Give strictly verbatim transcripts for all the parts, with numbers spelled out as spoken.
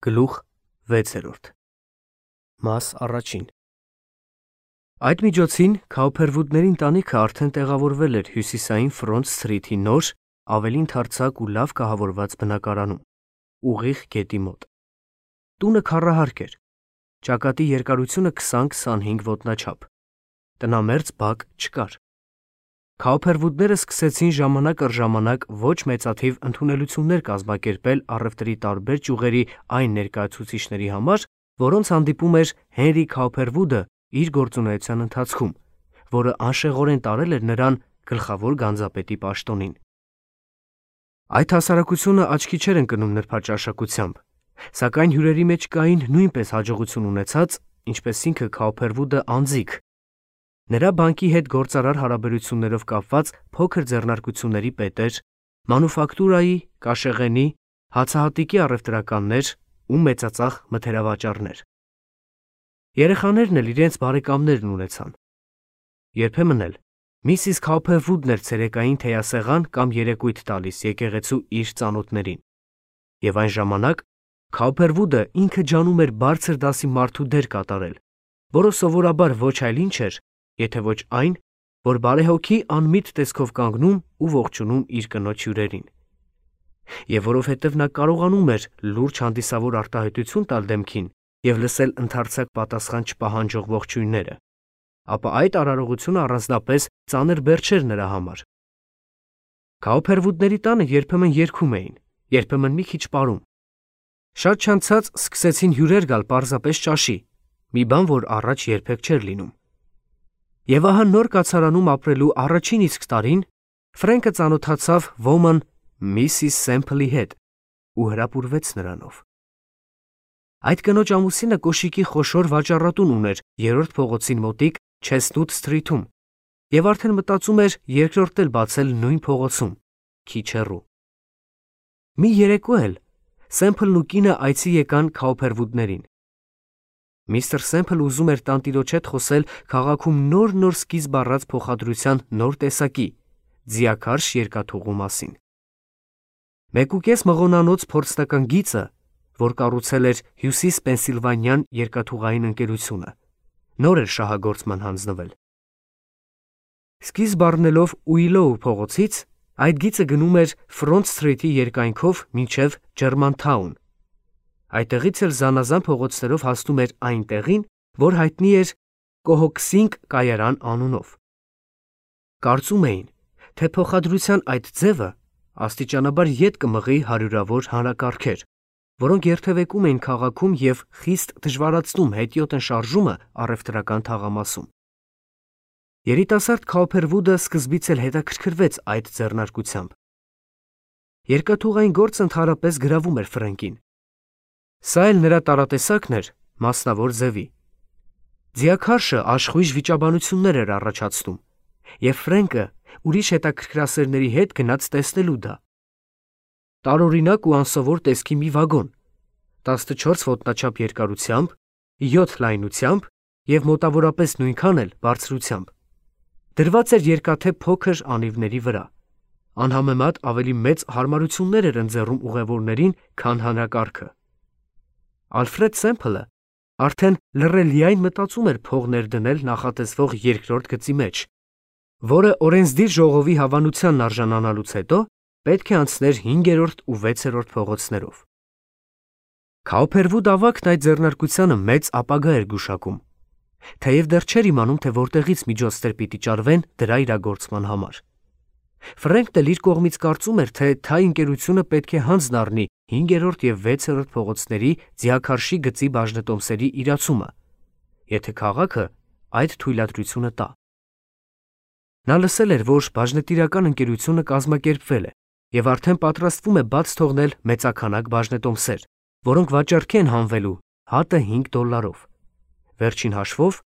Գլուխ վեցերորդ Մաս առաջին Այդ միջոցին Քաուփերվուդների ընտանիքը արդեն տեղավորվել էր հյուսիսային Ֆրոնտ Սթրիթի նոր, ավելի ընդարձակ ու լավ կահավորված բնակարանում, ուղիղ գետի մոտ։ Տունը քառահարկ էր, ճակատի երկարությունը քսան-քսանհինգ ոտնաչափ, տնամերձ բակ չկար։ Քաուփերվուդները սկսեցին ժամանակ առ ժամանակ ոչ մեծաթիվ ընդունելություններ կազմակերպել առևտրի տարբեր ճյուղերի այն ներկայացուցիչների համար, որոնց հանդիպում էր Հենրի Քաուփերվուդը իր գործունեության ընթացքում, որը անշեղորեն տարել էր նրան գլխավոր գանձապետի պաշտոնին։ Այդ հասարակությունը աչքի չէր ընկնում նրբաճաշակությամբ, սակայն հյուրերի մեջ կային նույնպես հաջողություն ունեցած, ինչպես ինքը Քաուփերվուդը անձիկ, նրա բանկի հետ գործարար հարաբերություններով կապված փոքր ձեռնարկությունների պետեր, մանուֆակտուրայի, կաշեղենի, հացահատիկի առևտրականներ ու մեծածախ մթերավաճառներ։ Երեխաներն էլ իրենց բարեկամներն ունեցան։ Երբեմն էլ Միսիս Քաուփերվուդն էր ցերեկային թեյասեղան կամ երեկույթ տալիս եկեղեցու իր ծանոթներին, եւ այն ժամանակ Քաուփերվուդը ինքը ջանում էր բարձր դասի մարդու դեր կատարել, որը սովորաբար ոչ այլ ինչ էր, եթե ոչ այն, որ բարեհոգի անմիտ տեսքով կանգնում ու ողջունում իր կնոջ հյուրերին։ Եվ որովհետև նա կարողանում էր լուրջ հանդիսավոր արտահայտություն տալ դեմքին եւ լսել ընդարձակ պատասխան չպահանջող ողջույնները, ապա այդ արարողությունը առանձնապես ծանր բեռ չէր նրա համար։ Քաուփերվուդների տանը երբեմն երգում էին, երբեմն մի քիչ պարում։ Շատ չանցած սկսեցին հյուրեր գալ պարզապես ճաշի, մի բան, որ առաջ երբեք չէր լինում։ Եվ ահա նոր կացարանում ապրելու առաջին իսկ տարին Ֆրենկը ծանոթացավ ոմն Միսիս Սեմփլի հետ ու հրապուրվեց նրանով։ Այդ կնոջ ամուսինը կոշիկի խոշոր վաճառատուն ուներ երրորդ փողոցին մոտիկ Չեսնութ Սթրիթում եւ արդեն մտածում էր երկրորդ էլ բացել նույն փողոցում, քիչ հեռու։ Մի երեկո էլ Սեմփլն ու կինը այցի եկան Քաուփերվուդներին։ Միստր Սեմփլը ուզում էր տանտիրոջ հետ խոսել քաղաքում նոր-նոր սկիզբ առած փոխադրության նոր տեսակի՝ ձիաքարշ երկաթուղու մասին։ Մեկուկես մղոնանոց փորձնական գիծը, որ կառուցել էր Հյուսիս Պենսիլվանյան երկաթուղային ընկերությունը, նոր էր շահագործման հանձնվել։ Սկիզբ առնելով Ուիլոու փողոցից, այդ գիծը գնում էր Ֆրոնտ Սթրիթի երկայնքով մինչև Ջերմանթաուն։ Այդտեղից էլ զանազան փողոցներով հասնում էր այն տեղին, որ հայտնի էր Կոհոքսինգ կայարան անունով։ Կարծում էին, թե փոխադրության այդ ձևը աստիճանաբար ետ կմղի հարյուրավոր հանրակարգեր, որոնք երթևեկում էին քաղաքում եւ խիստ դժվարացնում հետիոտն շարժումը առևտրական թաղամասում։ Երիտասարդ Քաուփերվուդը սկզբից էլ հետաքրքրվեց այդ ձեռնարկությամբ։ Երկաթուղային գործը ընդհանրապես գրավում էր Ֆրենկին։ Սա էլ նրա տարատեսակն էր մասնավոր ձևի։ Ձիաքարշը աշխույժ վիճաբանություններ էր առաջացնում, եւ Ֆրենկը ուրիշ հետաքրքրասերների հետ գնաց տեսնելու դա։ Տարօրինակ ու անսովոր տեսքի մի վագոն, տասնչորս ոտնաչափ երկարությամբ, յոթ լայնությամբ եւ մոտավորապես նույնքան էլ բարձրությամբ, դրված էր երկաթե փոքր անիվների վրա, անհամեմատ ավելի մեծ հարմարություններ էր ընձեռում ուղևորներին, քան հանրակարգը։ Ալֆրեդ Սեմփլը արդեն լռելիայն մտածում էր փող ներդնել նախատեսվող երկրորդ գծի մեջ, որը օրենսդիր ժողովի հավանությանն արժանանալուց հետո պետք է անցներ հինգերորդ ու վեցերորդ փողոցներով։ Քաուփերվուդ ավագն այդ ձեռնարկությանը մեծ ապագա էր գուշակում, թեև դեռ չէր իմանում, թե որտեղից միջոցներ պիտի ճարվեն դրա իրագործման համար։ Ֆրենկն էլ իր կողմից կարծում էր, թե թայ ընկերությունը պետք է հանձն առնի հինգերորդ եւ վեցերորդ փողոցների ձիաքարշի գծի բաժնետոմսերի իրացումը, եթե քաղաքը այդ թույլատրությունը տա։ Նա լսել էր, որ բաժնետիրական ընկերությունը կազմակերպվել է եւ արդեն պատրաստվում է բաց թողնել մեծաքանակ բաժնետոմսեր, որոնք վաճառքի են հանվելու հատը հինգ դոլարով, վերջին հաշվով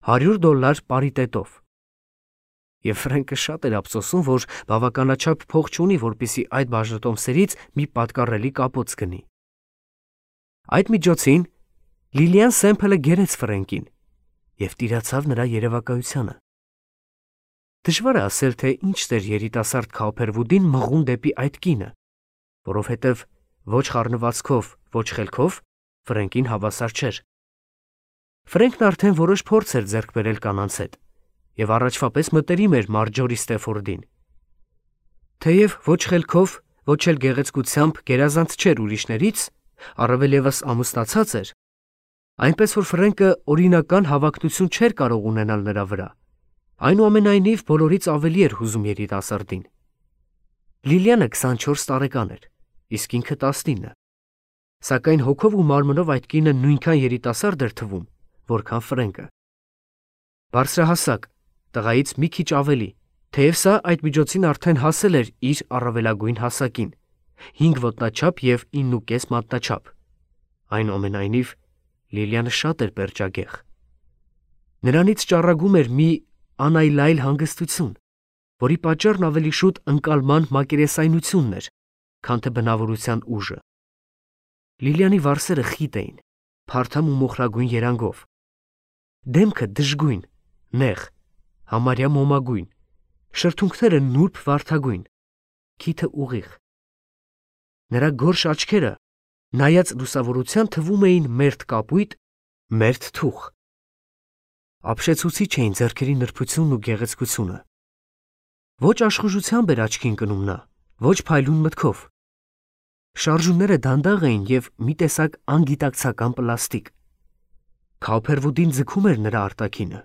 հարյուր դոլար պարիտետով։ Եվ Ֆրենկը շատ էր ափսոսում, որ բավականաչափ փող չունի, որպեսզի այդ բաժնետոմսերից մի պատկառելի կապոց գնի։ Այդ միջոցին Լիլիան Սեմփլը գերեց Ֆրենկին եւ տիրացավ նրա երևակայությանը։ Դժվար է ասել, թե ինչ էր երիտասարդ Քաուփերվուդին մղում դեպի այդ կինը, որովհետև ոչ խառնվածքով, ոչ խելքով Ֆրենկին հավասար չէր։ Ֆրենկն արդեն որոշ փորձ էր ձեռք բերել կանանց հետ և առաջվա պես մտերիմ էր Մարջորի Ստեֆորդին։ Թեև ոչ խելքով, ոչ էլ գեղեցկությամբ գերազանց չէր ուրիշներից, առավել ևս ամուսնացած էր, այնպես որ Ֆրենկը օրինական հավակնություն չէր կարող ունենալ նրա վրա, այնուամենայնիվ բոլորից ավելի էր հուզում երիտասարդին։ Լիլիանը քսանչորս տարեկան էր, իսկ ինքը տասնինը, սակայն հոգով ու մարմնով այդ կինը նույնքան երիտասարդ էր թվում, որքան Ֆրենկը։ Բարձրահասակ, տղայից մի քիչ ավելի, թեև սա այդ միջոցին արդեն հասել էր իր առավելագույն հասակին, հինգ ոտնաչափ և իննուկես մատնաչափ։ Այնուամենայնիվ Լիլիանը շատ էր պերճագեղ։ Նրանից ճառագում էր մի անայլայլ հանգստություն, որի պատճառն ավելի շուտ ընկալման մակերեսայնությունն էր, քան թե բնավորության ուժը։ Լիլիանի վարսերը խիտ էին, փարթամ ու մոխրագույն երանգով, դեմքը դժգույն, նեղ, համարյա մոմագույն, շրթունքները նուրբ վարդագույն, քիթը ուղիղ։ Նրա գորշ աչքերը, նայած լուսավորության, թվում էին մերթ կապույտ, մերթ թուխ։ Ապշեցուցիչ էին ձեռքերի նրբությունն ու գեղեցկությունը։ Ոչ աշխուժությամբ էր աչքի ընկնում նա, ոչ փայլուն մտքով։ Շարժումները դանդաղ էին և մի տեսակ անգիտակցական պլաստիկ։ Քաուփերվուդին ձգում էր նրա արտաքինը։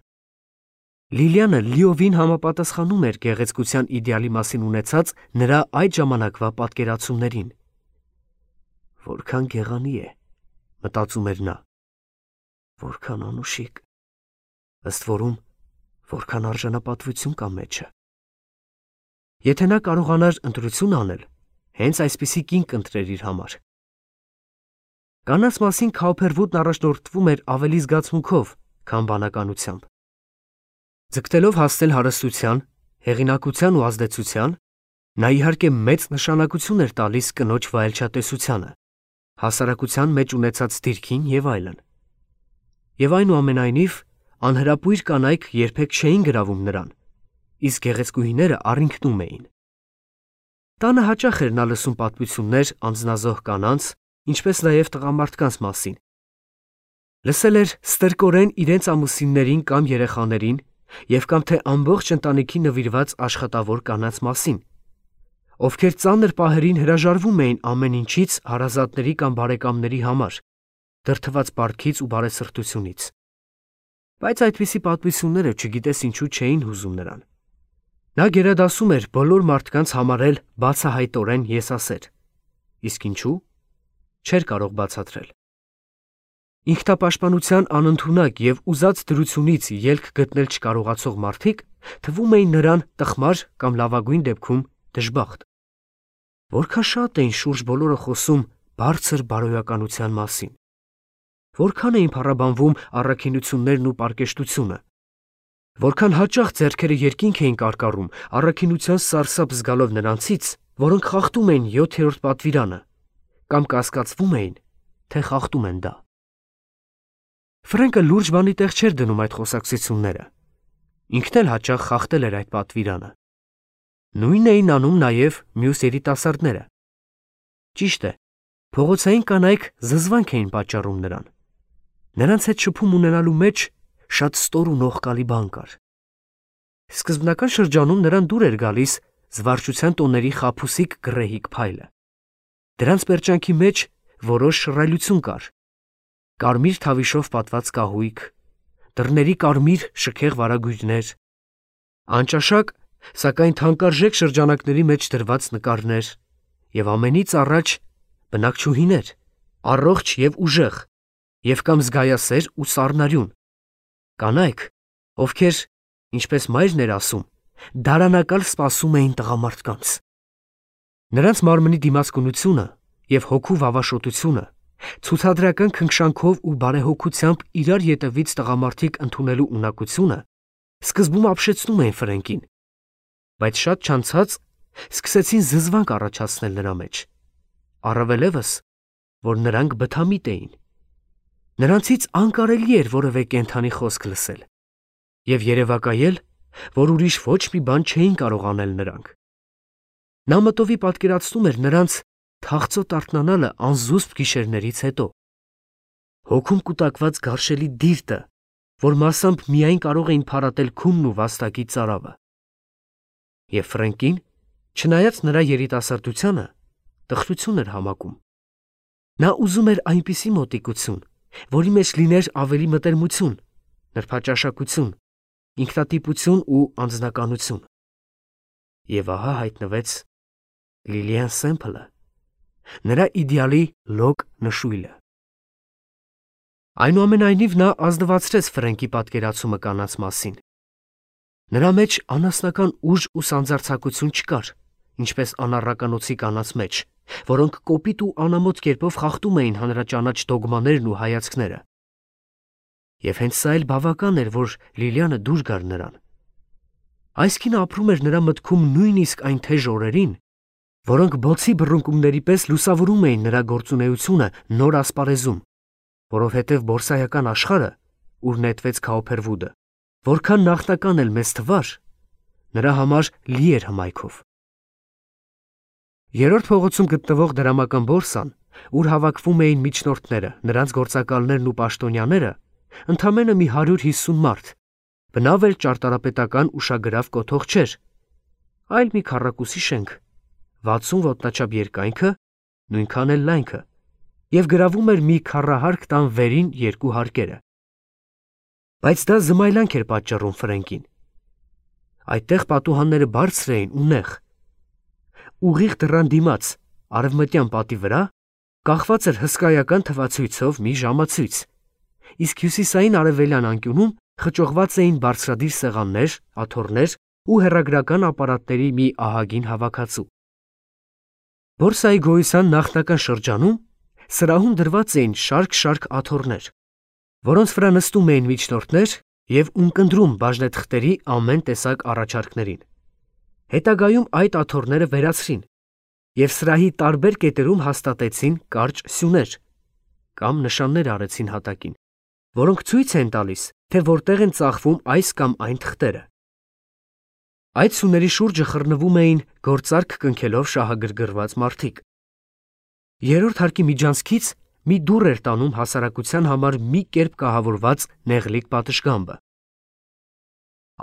Լիլիանը լիովին համապատասխանում էր գեղեցկության իդեալի մասին ունեցած նրա այդ ժամանակվա պատկերացումներին։ Որքան գեղանի է, մտածում էր նա, որքան անուշիկ, ըստ որում որքան արժանապատվություն կա մեջը։ Եթե նա կարողանար ընտրություն անել, հենց այսպիսի կին կընտրեր իր համար։ Կանանց մասին Քաուփերվուդն առաջնորդվում էր ավելի զգացմունքով, քան բանականությամբ։ Ձգտելով հասնել հարստության, հեղինակության ու ազդեցության, նա իհարկե մեծ նշանակություն էր տալիս կնոջ վայելչատեսությանը, հասարակության մեջ ունեցած դիրքին և այլն։ Եվ այնուամենայնիվ անհրապույր կանայք երբեք չէին գրավում նրան, իսկ գեղեցկուհիները առինքնում էին։ Տանը հաճախ էր նա լսում պատմություններ անձնազոհ կանանց, ինչպես նաև տղամարդկանց մասին։ Լսել էր ստրկորեն իրենց ամուսիններին կամ երեխաներին և կամ թե ամբողջ ընտանիքին նվիրված աշխատավոր կանանց մասին, ովքեր ծանր պահերին հրաժարվում էին ամեն ինչից հարազատների կամ բարեկամների համար, դրդված պարտքից ու բարեսրտությունից։ Բայց այդպիսի պատմությունները չգիտես ինչու չէին հուզում նրան։ Նա գերադասում էր բոլոր մարդկանց համարել բացահայտորեն եսասեր, իսկ ինչու՝ չէր կարող բացատրել։ Ինքնապաշտպանության անընդունակ և ուզած դրությունից ելք գտնել չկարողացող մարդիկ թվում էին նրան տխմար կամ լավագույն դեպքում դժբախտ։ Որքան շատ էին շուրջ բոլորը խոսում բարձր բարոյականության մասին, որքան էին փառաբանվում առաքինություններն ու պարկեշտությունը, որքան հաճախ ձեռքերը երկինք էին կարկառում առաքինության սարսափ զգալով նրանցից, որոնք խախտում էին յոթերորդ պատվիրանը կամ կասկածվում էին, թե խախտում են դա։ Ֆրենկը լուրջ բանի տեղ չէր դնում այդ խոսակցությունները։ Ինքն էլ հաճախ խախտել էր այդ պատվիրանը։ Նույնն էին անում նաև մյուս երիտասարդները։ Ճիշտ է, փողոցային կանայք զզվանք էին պատճառում նրան։ Նրանց հետ շփում ունենալու մեջ շատ ստոր ու նողկալի բան կար։ Սկզբնական շրջանում նրան դուր էր գալիս զվարճության տոների խաբուսիկ գռեհիկ փայլը։ Դրանց պերճանքի մեջ որոշ շռայլություն կար։ Կարմիր թավիշով պատված կահույք, դռների կարմիր շքեղ վարագույրներ, անճաշակ, սակայն թանկարժեք շրջանակների մեջ դրված նկարներ և ամենից առաջ բնակչուհիներ, առողջ և ուժեղ, և կամ զգայասեր ու սառնարյուն, կանայք, ովքեր, ինչպես մայրն էր ասում, դարանակալ սպասում էին տղամարդկանց։ Նրանց մարմնի դիմացկունությունը և հոգու վավաշոտությունը, ցուցադրական քնքշանքով ու բարեհոգությամբ իրար ետևից տղամարդիկ ընդունելու ունակությունը սկզբում ապշեցնում էին Ֆրենկին, բայց շատ չանցած սկսեցին զզվանք առաջացնել նրա մեջ, առավելևս, որ նրանք բթամիտ էին։ Նրանցից անկարելի էր որևէ կենդանի խոսք լսել և երևակայել, որ ուրիշ ոչ մի բան չէին կարող անել նրանք։ Նա մտովի պատկերացնում էր նրանց թախծոտ արթնանալը անզուսպ գիշերներից հետո, հոգում կուտակված գարշելի դիրտը, որ մասամբ միայն կարող էին փարատել քունն ու վաստակի ծարավը։ Եվ Ֆրենկին, չնայած նրա երիտասարդությանը, տխրություն էր համակում։ Նա ուզում էր այնպիսի մոտիկություն, որի մեջ լիներ ավելի մտերմություն, նրբաճաշակություն, ինքնատիպություն ու անձնականություն։ Եվ ահա հայտնվեց Լիլիան Սեմփլը, նրա իդեալի լոկ նշույլը։ Այնուամենայնիվ նա ազնվացրեց Ֆրենկի պատկերացումը կանանց մասին։ Նրա մեջ անասնական ուժ ու սանձարձակություն չկար, ինչպես անառականոցի կանանց մեջ, որոնք կոպիտ ու անամոթ կերպով խախտում էին հանրաճանաչ դոգմաներն ու հայացքները։ Եվ հենց սա էլ բավական էր, որ Լիլիանը դուր գար նրան։ Այս կինը ապրում էր նրա մտքում նույնիսկ այն թեժ օրերին, որոնք բոցի բռունկումների պես լուսավորում էին նրա գործունեությունը նոր ասպարեզում, որովհետև բորսայական աշխարհը, ուր նետվեց Քաուփերվուդը, որքան նախնական էլ մեծ թվար, նրա համար լի էր հմայքով։ Երրորդ փողոցում գտնվող դրամական բորսան, ուր հավաքվում էին միջնորդները, նրանց գործակալներն ու պաշտոնյաները, ընդամենը մի հարյուր հիսուն մարդ, բնավ էլ ճարտարապետական ուշագրավ կոթող չէր, այլ մի քառակուսի շենք, վաթսուն ոտնաչափ երկայնքը, նույնքան էլ լայնքը, և գրավում էր մի քառահարկ տան վերին երկու հարկերը։ Բայց դա զմայլանք էր պատճառում Ֆրենկին։ Այդտեղ պատուհանները բարձր էին ու նեղ։ Ուղիղ դռան դիմաց, արևմտյան պատի վրա, կախված էր հսկայական թվացույցով մի ժամացույց, իսկ հյուսիսային արևելյան անկյունում խճողված էին բարձրադիր սեղաններ, աթոռներ ու հեռագրական ապարատների մի ահագին հավաքածու։ Բորսայի գոյության նախնական շրջանում սրահում դրված էին շարք-շարք աթոռներ, որոնց վրա նստում էին միջնորդներ և ունկնդրում բաժնեթղթերի ամեն տեսակ առաջարկներին։ Հետագայում այդ աթոռները վերացրին և սրահի տարբեր կետերում հաստատեցին կարճ սյուներ կամ նշաններ արեցին հատակին, որոնք ցույց են տալիս, թե որտեղ են ծախվում այս կամ այն թղթերը։ Այդ սյուների շուրջը խռնվում էին գործարք կնքելով շահագրգռված մարդիկ։ Երրորդ հարկի միջանցքից մի դուռ էր տանում հասարակության համար մի կերպ կահավորված նեղլիկ պատշգամբը։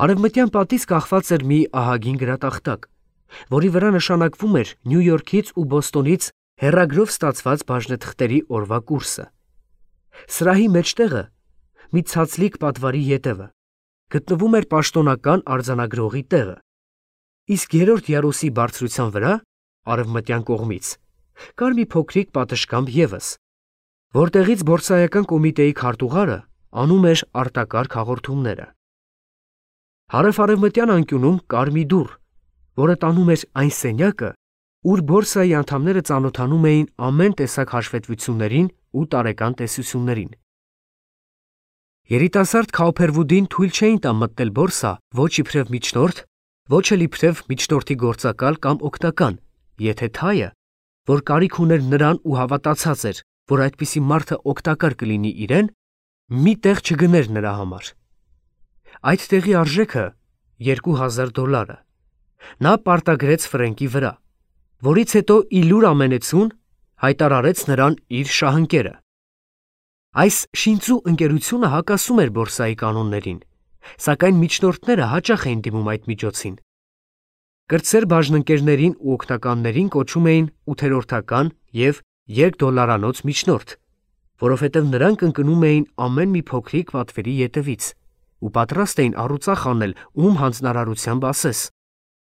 Արևմտյան պատից կախված էր մի ահագին գրատախտակ, որի վրա նշանակվում էր Նյու Յորքից ու Բոստոնից հեռագրով ստացված բաժնեթղթերի օրվա կուրսը։ Սրահի մեջտեղը, մի ցածլիկ պատվարի ետևը, գտնվում էր պաշտոնական արձանագրողի տեղը, իսկ երրորդ յարուսի բարձրության վրա, արևմտյան կողմից, կար մի փոքրիկ պատշգամբ ևս, որտեղից բորսայական կոմիտեի քարտուղարը անում էր արտակարգ հաղորդումները։ Հարավ-արևմտյան անկյունում կար մի դուռ, որը տանում էր այն սենյակը, ուր բորսայի անդամները ծանոթանում էին ամեն տեսակ հաշվետվություններին ու տարեկան տեսություններին։ Երիտասարդ Քաուփերվուդին թույլ չէին տա մտնել բորսա ոչ իբրև միջնորդ, ոչ էլ իբրև միջնորդի գործակալ կամ օգնական, եթե թայը, որ կարիք ուներ նրան ու հավատացած էր, որ այդպիսի մարդը օգտակար կլինի իրեն, մի տեղ չգներ նրա համար։ Այդ տեղի արժեքը երկու հազար դոլարը։ Նա պարտագրեց Ֆրենկի վրա, որից հետո ի լուր ամենեցուն հայտարարեց նրան իր շահընկերը։ Այս շինծու ընկերությունը հակասում էր բորսայի կանոններին, սակայն միջնորդները հաճախ էին դիմում այդ միջոցին։ Կրտսեր բաժնընկերներին ու օգնականներին կոչում էին ութերորդական և երկդոլարանոց միջնորդ, որովհետև նրանք ընկնում էին ամեն մի փոքրիկ պատվերի ետևից ու պատրաստ էին առուծախ անել ում հանձնարարությամբ ասես,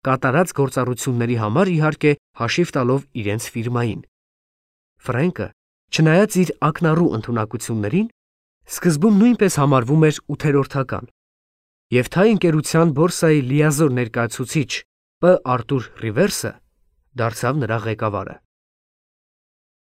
կատարած գործառույթների համար իհարկե հաշիվ տալով իրենց ֆիրմային։ Ֆրենկը, չնայած իր ակնառու ընդունակություններին, սկզբում նույնպես համարվում էր ութերորդական, և թայ ընկերության բորսայի լիազոր ներկայացուցիչ Պ. Արտուր Ռիվերսը դարձավ նրա ղեկավարը։